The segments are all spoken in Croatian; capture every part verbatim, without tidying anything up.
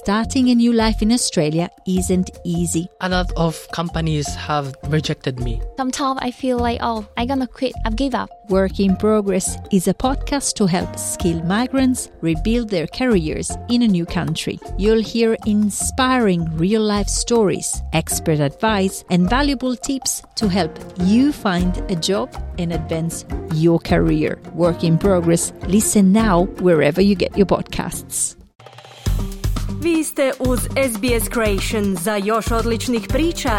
Starting a new life in Australia isn't easy. A lot of companies have rejected me. Sometimes I feel like, oh, I'm gonna quit, I've give up. Work in Progress is a podcast to help skilled migrants rebuild their careers in a new country. You'll hear inspiring real-life stories, expert advice, and valuable tips to help you find a job and advance your career. Work in Progress. Listen now wherever you get your podcasts. Vi ste uz S B S Creation. Za još odličnih priča,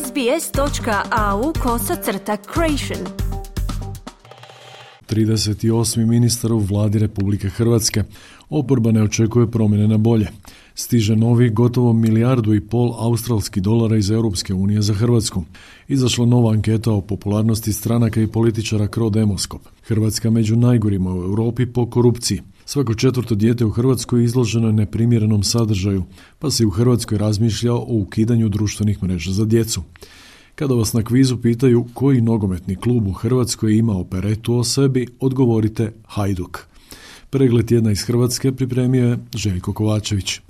sbs.au kosacrta creation. trideset osmi ministar u vladi Republike Hrvatske. Oporba ne očekuje promjene na bolje. Stiže novi gotovo milijardu i pol australskih dolara iz Europske unije za Hrvatsku. Izašla nova anketa o popularnosti stranaka i političara Crodemoskop. Hrvatska među najgorima u Europi po korupciji. Svako četvrto dijete u Hrvatskoj izloženo je neprimjerenom sadržaju, pa se u Hrvatskoj razmišlja o ukidanju društvenih mreža za djecu. Kada vas na kvizu pitaju koji nogometni klub u Hrvatskoj ima operetu o sebi, odgovorite Hajduk. Pregled tjedna iz Hrvatske pripremio je Željko Kovačević.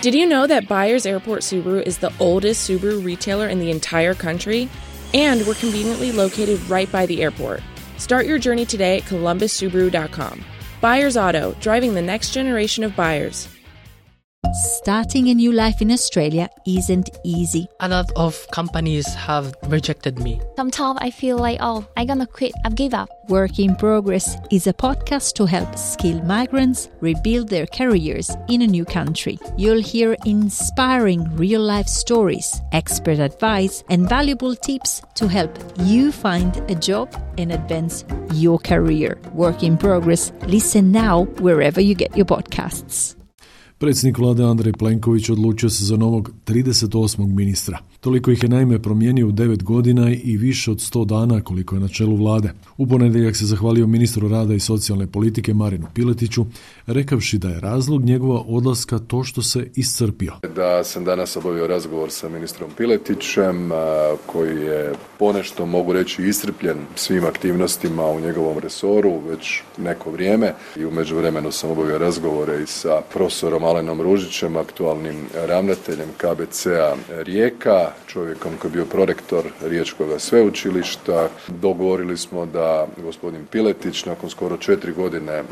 Did you know that Byers Airport Subaru is the oldest Subaru retailer in the entire country? And we're conveniently located right by the airport. Start your journey today at columbus subaru dot com. Byers Auto, driving the next generation of buyers. Starting a new life in Australia isn't easy. A lot of companies have rejected me. Sometimes I feel like, oh, I'm gonna quit, I've give up. Work in Progress is a podcast to help skilled migrants rebuild their careers in a new country. You'll hear inspiring real-life stories, expert advice, and valuable tips to help you find a job and advance your career. Work in Progress. Listen now wherever you get your podcasts. Predsjednik vlade Andrej Plenković odlučio se za novog trideset osmog ministra. Toliko ih je naime promijenio u devet godina i više od sto dana koliko je na čelu vlade. U ponedjeljak se zahvalio ministru rada i socijalne politike Marinu Piletiću, rekavši da je razlog njegova odlaska to što se iscrpio. Da sam danas obavio razgovor sa ministrom Piletićem, koji je ponešto, mogu reći, iscrpljen svim aktivnostima u njegovom resoru već neko vrijeme. I u međuvremenu sam obavio razgovore i sa profesorom Alenom Ružićem, aktualnim ravnateljem K B C-a Rijeka, čovjekom koji je bio prorektor Riječkog sveučilišta. Dogovorili smo da gospodin Piletić nakon skoro četiri godine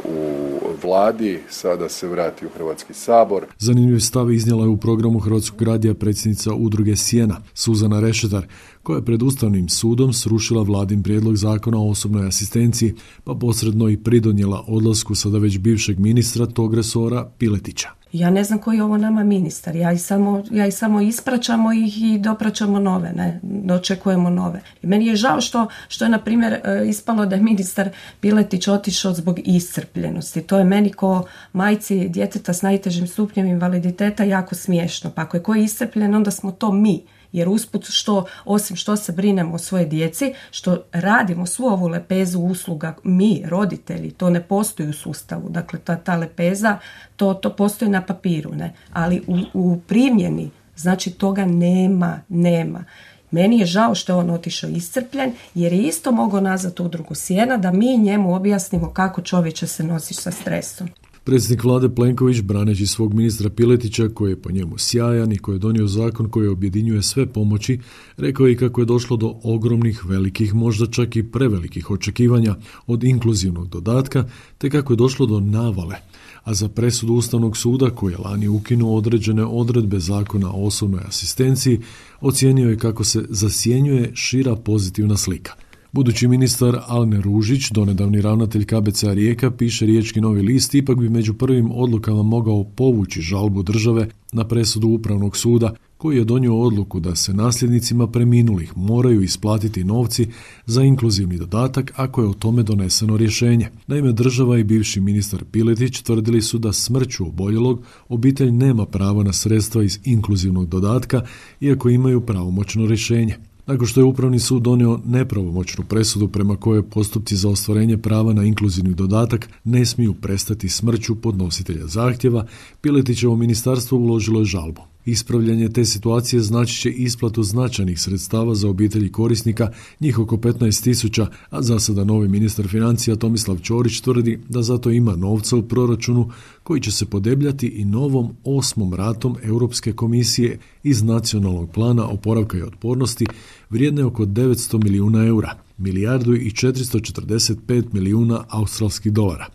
u vladi sada se vrati u Hrvatski sabor. Zanimljiv stav iznijela je u programu Hrvatskog radija predsjednica udruge Sjena, Suzana Rešetar, koja je pred Ustavnim sudom srušila vladin prijedlog zakona o osobnoj asistenciji, pa posredno i pridonijela odlasku sada već bivšeg ministra tog resora Piletića. Ja ne znam koji je ovo nama ministar, ja i samo, ja i samo ispraćamo ih i dopraćamo nove, ne, dočekujemo nove. I meni je žao što, što je, na primjer, ispalo da je ministar Piletić otišao zbog iscrpljenosti. To je meni ko majci djeteta s najtežim stupnjem invaliditeta jako smiješno. Pa ako je ko iscrpljen, onda smo to mi. Jer usput što, osim što se brinemo o svoje djeci, što radimo svu ovu lepezu usluga, mi, roditelji, to ne postoji u sustavu. Dakle, ta, ta lepeza, to, to postoji na papiru, ne? Ali u, u primjeni, znači toga nema, nema. Meni je žao što je on otišao iscrpljen, jer je isto mogao nazvati udrugu Sjena da mi njemu objasnimo kako čovječe se nosi sa stresom. Predsjednik vlade Plenković, braneći svog ministra Piletića, koji je po njemu sjajan i koji je donio zakon koji objedinjuje sve pomoći, rekao je i kako je došlo do ogromnih, velikih, možda čak i prevelikih očekivanja od inkluzivnog dodatka, te kako je došlo do navale. A za presudu Ustavnog suda, koji je lani ukinuo određene odredbe zakona o osobnoj asistenciji, ocijenio je kako se zasjenjuje šira pozitivna slika. Budući ministar Alen Ružić, donedavni ravnatelj K B C-a Rijeka, piše Riječki Novi list, ipak bi među prvim odlukama mogao povući žalbu države na presudu Upravnog suda, koji je donio odluku da se nasljednicima preminulih moraju isplatiti novci za inkluzivni dodatak ako je o tome doneseno rješenje. Naime, država i bivši ministar Piletić tvrdili su da smrću oboljelog obitelj nema pravo na sredstva iz inkluzivnog dodatka, iako imaju pravomoćno rješenje. Nakon što je Upravni sud donio nepravomoćnu presudu prema kojoj postupci za ostvarenje prava na inkluzivni dodatak ne smiju prestati smrću podnositelja zahtjeva, Piletićevo ministarstvo uložilo je žalbu. Ispravljanje te situacije znači će isplatu značajnih sredstava za obitelji korisnika, njih oko petnaest tisuća, a za sada novi ministar financija Tomislav Ćorić tvrdi da zato ima novca u proračunu koji će se podebljati i novom osmom ratom Europske komisije iz nacionalnog plana oporavka i otpornosti vrijedne oko devetsto milijuna eura, milijardu i četiristo četrdeset pet milijuna australskih dolara.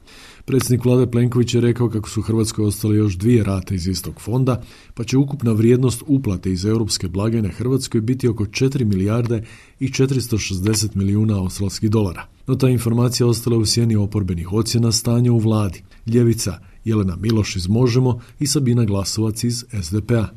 Predsjednik vlade Plenković je rekao kako su Hrvatskoj ostale još dvije rate iz istog fonda, pa će ukupna vrijednost uplate iz europske blagajne Hrvatskoj biti oko četiri milijarde i četiristo šezdeset milijuna australskih dolara. No ta informacija ostala u sjeni oporbenih ocjena stanja u vladi. Ljevica Jelena Miloš iz Možemo i Sabina Glasovac iz es de pe a.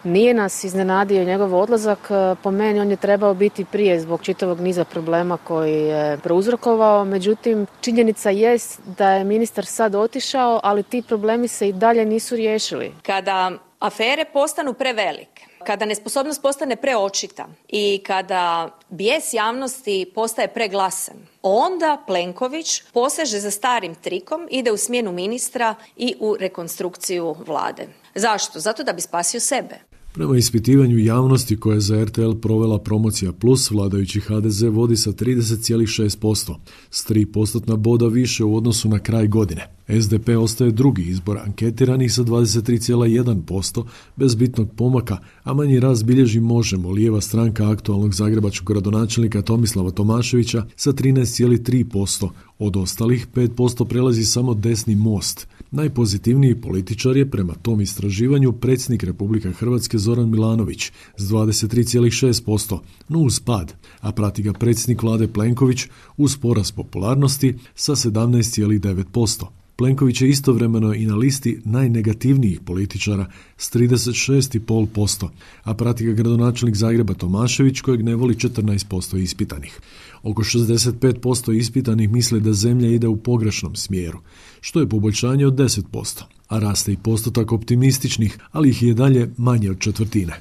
Nije nas iznenadio njegov odlazak, po meni on je trebao biti prije zbog čitavog niza problema koji je prouzrokovao, međutim činjenica jest da je ministar sad otišao, ali ti problemi se i dalje nisu riješili. Kada afere postanu prevelike, kada nesposobnost postane preočita i kada bijes javnosti postaje preglasan, onda Plenković poseže za starim trikom, ide u smjenu ministra i u rekonstrukciju vlade. Zašto? Zato da bi spasio sebe. Prema ispitivanju javnosti koje je za er te el provela Promocija Plus, vladajući ha de ze vodi sa trideset zarez šest posto, s tri postotna boda više u odnosu na kraj godine. es de pe ostaje drugi izbor anketiranih sa dvadeset tri zarez jedan posto, bez bitnog pomaka, a manji rast bilježi Možemo, lijeva stranka aktualnog zagrebačkog gradonačelnika Tomislava Tomaševića sa trinaest zarez tri posto. Od ostalih pet posto prelazi samo desni Most. Najpozitivniji političar je prema tom istraživanju predsjednik Republike Hrvatske Zoran Milanović s dvadeset tri zarez šest posto, no uz pad, a prati ga predsjednik vlade Plenković uz porast popularnosti sa sedamnaest zarez devet posto. Plenković je istovremeno i na listi najnegativnijih političara s trideset šest zarez pet posto, a prati ga gradonačelnik Zagreba Tomašević kojeg ne voli četrnaest posto ispitanih. Oko šezdeset pet posto ispitanih misle da zemlja ide u pogrešnom smjeru, što je poboljšanje od deset posto, a raste i postotak optimističnih, ali ih je dalje manje od četvrtine.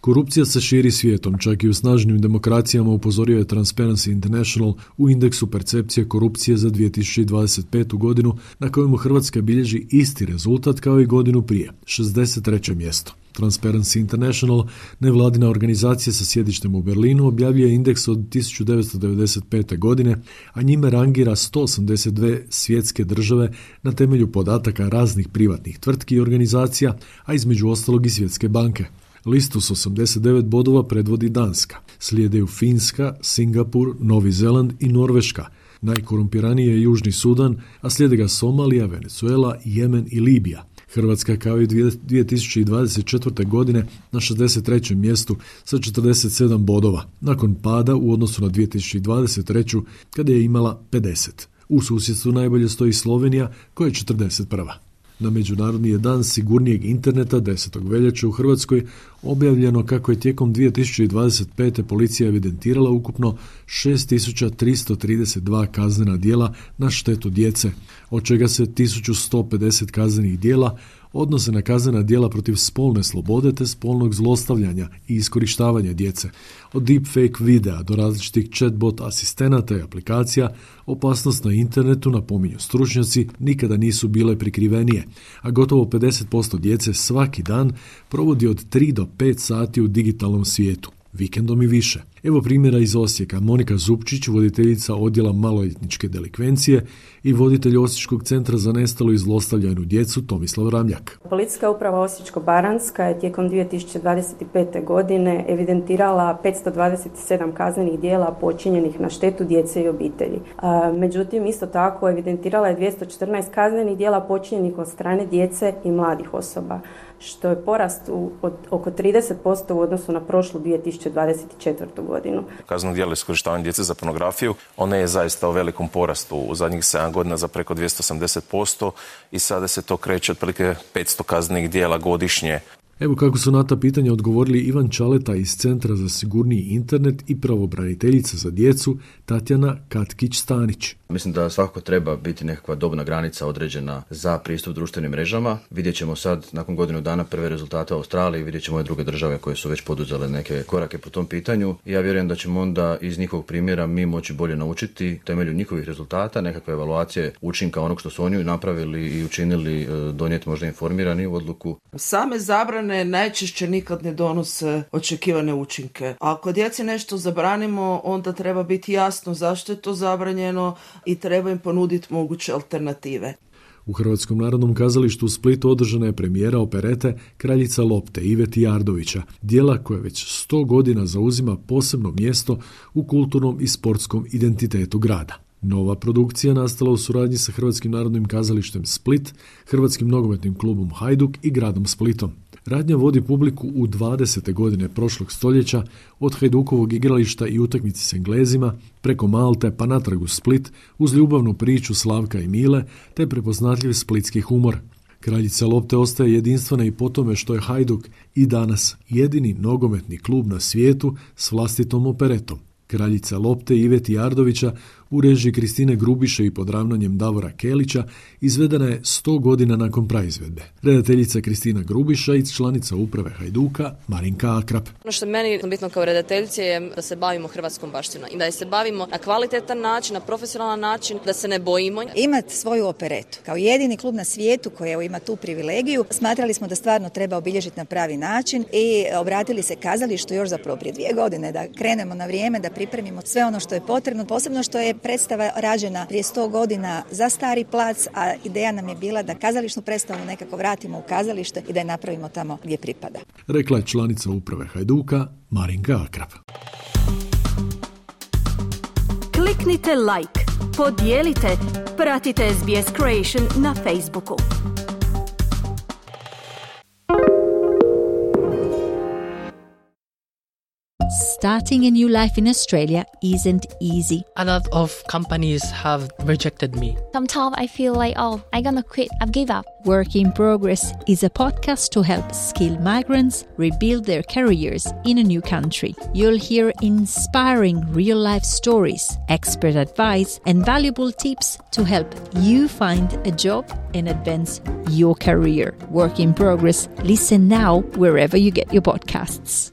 Korupcija se širi svijetom, čak i u snažnim demokracijama, upozorio je Transparency International u indeksu percepcije korupcije za dvije tisuće dvadeset petu godinu, na kojemu Hrvatska bilježi isti rezultat kao i godinu prije, šezdeset treće mjesto. Transparency International, nevladina organizacija sa sjedištem u Berlinu, objavljuje indeks od tisuću devetsto devedeset pete. godine, a njime rangira sto osamdeset dvije svjetske države na temelju podataka raznih privatnih tvrtki i organizacija, a između ostalog i Svjetske banke. Listu s osamdeset devet bodova predvodi Danska, slijedeju Finska, Singapur, Novi Zeland i Norveška. Najkorumpiraniji je Južni Sudan, a slijede ga Somalija, Venezuela, Jemen i Libija. Hrvatska kao i dvije tisuće dvadeset četvrte. godine na šezdeset trećem mjestu sa četrdeset sedam bodova, nakon pada u odnosu na dvije tisuće dvadeset treću. kada je imala pedeset. U susjedstvu najbolje stoji Slovenija koja je četrdeset prva. Na Međunarodni je dan sigurnijeg interneta desetog veljače u Hrvatskoj objavljeno kako je tijekom dvije tisuće dvadeset pete. policija evidentirala ukupno šest tisuća tristo trideset dva kaznena djela na štetu djece, od čega se tisuću sto pedeset kaznenih djela odnose na kaznena djela protiv spolne slobode te spolnog zlostavljanja i iskorištavanja djece. Od deepfake videa do različitih chatbot asistenata i aplikacija, opasnost na internetu, napominju stručnjaci, nikada nisu bile prikrivenije, a gotovo pedeset posto djece svaki dan provodi od tri do pet sati u digitalnom svijetu, vikendom i više. Evo primjera iz Osijeka. Monika Zupčić, voditeljica odjela maloljetničke delikvencije i voditelj Osječkog centra za nestalu i zlostavljanu djecu Tomislav Ramljak. Policijska uprava Osječko-baranjska je tijekom dvije tisuće dvadeset pete. godine evidentirala petsto dvadeset sedam kaznenih djela počinjenih na štetu djece i obitelji. Međutim, isto tako evidentirala je dvjesto četrnaest kaznenih djela počinjenih od strane djece i mladih osoba, što je porast u, od oko trideset posto u odnosu na prošlu dvije tisuće dvadeset četvrtu. godinu. Kazneno djelo iskorištavanja djece za pornografiju, ono je zaista u velikom porastu u zadnjih sedam godina za preko dvjesto osamdeset posto i sada se to kreće otprilike petsto kaznenih djela godišnje. Evo kako su na ta pitanja odgovorili Ivan Čaleta iz Centra za sigurniji internet i pravobraniteljica za djecu Tatjana Katkić-Stanić. Mislim da svakako treba biti nekakva dobna granica određena za pristup društvenim mrežama. Vidjet ćemo sad, nakon godinu dana, prve rezultate u Australiji, vidjet ćemo i druge države koje su već poduzele neke korake po tom pitanju. I ja vjerujem da ćemo onda iz njihovog primjera mi moći bolje naučiti temelju njihovih rezultata, nekakve evaluacije učinka onog što su oni napravili i učinili, donijeti možda informirani odluku. Same zabrane zabrane najčešće nikad ne donose očekivane učinke. Ako djeci nešto zabranimo, onda treba biti jasno zašto je to zabranjeno i treba im ponuditi moguće alternative. U Hrvatskom narodnom kazalištu u Splitu održana je premijera operete Kraljica lopte Ive Tijardovića, djela koje već sto godina zauzima posebno mjesto u kulturnom i sportskom identitetu grada. Nova produkcija nastala u suradnji sa Hrvatskim narodnim kazalištem Split, Hrvatskim nogometnim klubom Hajduk i gradom Splitom. Radnja vodi publiku u dvadesete godine prošlog stoljeća od Hajdukovog igrališta i utakmice s Englezima, preko Malte pa natrag u Split uz ljubavnu priču Slavka i Mile te prepoznatljiv splitski humor. Kraljica lopte ostaje jedinstvena i po tome što je Hajduk i danas jedini nogometni klub na svijetu s vlastitom operetom. Kraljica lopte Ive Tijardovića u režiji Kristine Grubiše i pod ravnanjem Davora Kelića izvedena je sto godina nakon praizvedbe. Redateljica Kristina Grubiša i članica uprave Hajduka Marinka Akrap. Ono što je meni bitno kao redateljice je da se bavimo hrvatskom baštinom i da je se bavimo na kvalitetan način, na profesionalan način, da se ne bojimo. Imati svoju operetu kao jedini klub na svijetu koji ima tu privilegiju, smatrali smo da stvarno treba obilježiti na pravi način i obratili se kazalištu još zapravo prije dvije godine da krenemo na vrijeme, da pripremimo sve ono što je potrebno, posebno što je predstava rađena prije sto godina za Stari plac, a ideja nam je bila da kazališnu predstavu nekako vratimo u kazalište i da je napravimo tamo gdje pripada. Rekla je članica uprave Hajduka Marinka Akrap. Kliknite like, podijelite, pratite S B S Creation na Facebooku. Starting a new life in Australia isn't easy. A lot of companies have rejected me. Sometimes I feel like, oh, I'm gonna quit, I've give up. Work in Progress is a podcast to help skilled migrants rebuild their careers in a new country. You'll hear inspiring real-life stories, expert advice, and valuable tips to help you find a job and advance your career. Work in Progress. Listen now wherever you get your podcasts.